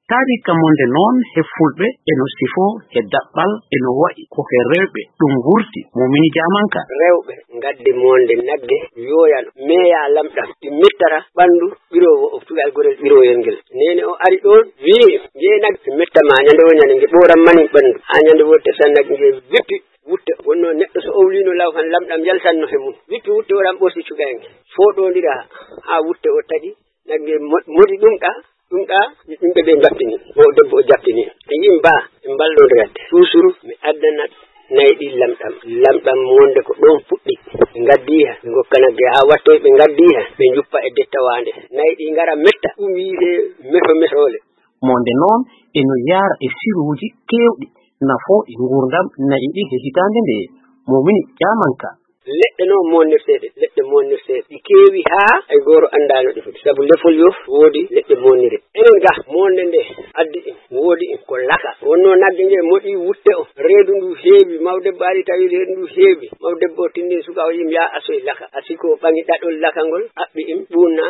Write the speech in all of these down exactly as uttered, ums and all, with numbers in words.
Taariika monde noon he fulɓe eno sifoo he daɓɓal, eno wayi ko he rewɓe ɗum wurti, Mumini Jaamanka. Rewɓe ngaddi monde nagge yooyano, meeya lamɗam, ɗi mettata ɓanndu ɓiroowo o, cukalel gorel ɓirooyel ngel. Neene o ari ɗoon, wii, "Njee nagge mettama ñande woo ñande, nge ɓooran mani ɓanndu." Haa ñande woo tesa nagge nge wippi wutte. Wonnoo neɗɗo so owliino law kan lamɗam yaltanno he mum. Wippi wutte o ɗan ɓorti cukalel ngel. Fooɗondira haa wutte o taƴi. Nagge mo-, moɗi ɗum ɗa, ɗum ɗa, yimɓe ɓe mbattini. O debbo o jaɓtini. Ɓe yimba, ɓe mballondirande. Suusuru, mi addanat nayi ɗi lamɗam. Lamɗam monde ko ɗon fuɗɗi. Ɓe ngaddi ha, ɓe ngokka nagge haa wattoy, ɓe ngaddi ha, ɓe njuppa e dettawaande. Nayi ɗi ngara metta, ɗum wiyetee meso mesoole. Monde noon eno yaara e siruuji keewɗi nafooɗi nguurndam nayi ɗi he hitaande nde. Momini Jaamanka. Leɗɗe noon monnirteeɗe, leɗɗe monnirteeɗe, ɗi keewi haa hay gooto anndaa no ɗi foti. Sabu lefol yof woodi leɗɗe monnire. Enen ga, monde nde addi ɗin, woodi ɗin ko laka. Wonnoo nagge nge moɗi wutte o, reedu ndu heewi, mawdebbo ari tawi reedu ndu heewi. Mawdebbo o tindin suka o yim yaa asoy laka. Asi ko ɓaŋi ɗaɗol laka ngol, aɓɓi ɗin, ɓuunna,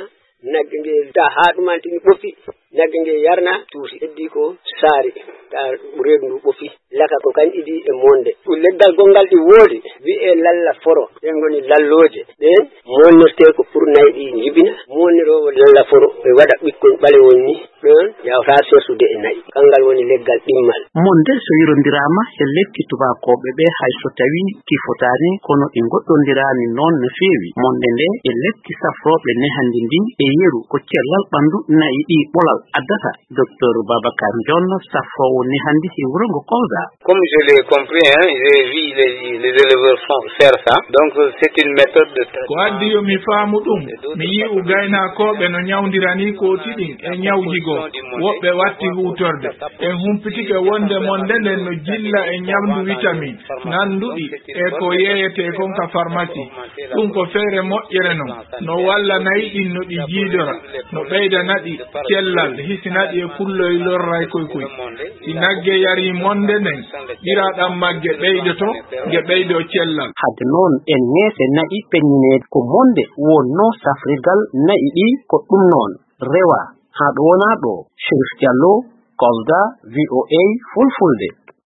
nagge nge ta haa ɗumantini ɓofi, nagge nge yarna tuusi. Heddi ko saari, ta reedu ndu ɓofi. Laka ko kañ idi e monde. Ɗum leggal gonngal ɗi woodi, wi'ee lalla foro. Ɗen ngoni lallooje. Ɗen monnirtee ko pour nayi ɗi njibina. Monniroowo lalla foro, ɓe waɗa ɓikkon ɓalewon ni. Ɗon yawta sertude e nayi. Kanngal woni leggal ɗimmal. Monde so yirondiraama e lekki tubaakooɓe ɓe, hay so tawii ki fotaani, kono ɗi ngoɗɗondiraani noon no feewi. Monde nde e lekki safrooɓe nehandi ndi e yeru ko cellal ɓanndu nayi ɗi ɓolal addata. Docteur Babacar Ndion, safroowo nehandi he wuro ngo Kolda. Comme je l'ai compris, hein, j'ai vu les, les éleveurs font faire ça. Donc, c'est une méthode de traitement. Ko addi yo mi faamu ɗum, mi yi'u gaynakooɓe no ñawndirani kooti ɗin e ñawji goo. Woɓɓe watti huutorde. En humpitike wonde monde nden no jilla e ñamdu witamin nanduɗi e ko yeeyetee kon ka farmasi. Ɗum ko feere moƴƴere non. No walla nayi ɗin no ɗi jiidora, no ɓeyda naɗi cellal, hisina ɗi e kulloy lorray koy koy. Si nagge yarii monde nden, ɓiraɗam magge ɓeydoto, nge ɓeydoo cellal. Hadde noon, en ŋeese na'i peññineede ko monde wonnoo safrirgal na'i ɗi, ko ɗum noon. Rewa, haa ɗo wonaa ɗo. Chérif Diallo, Kolda, V O A Fulfulde.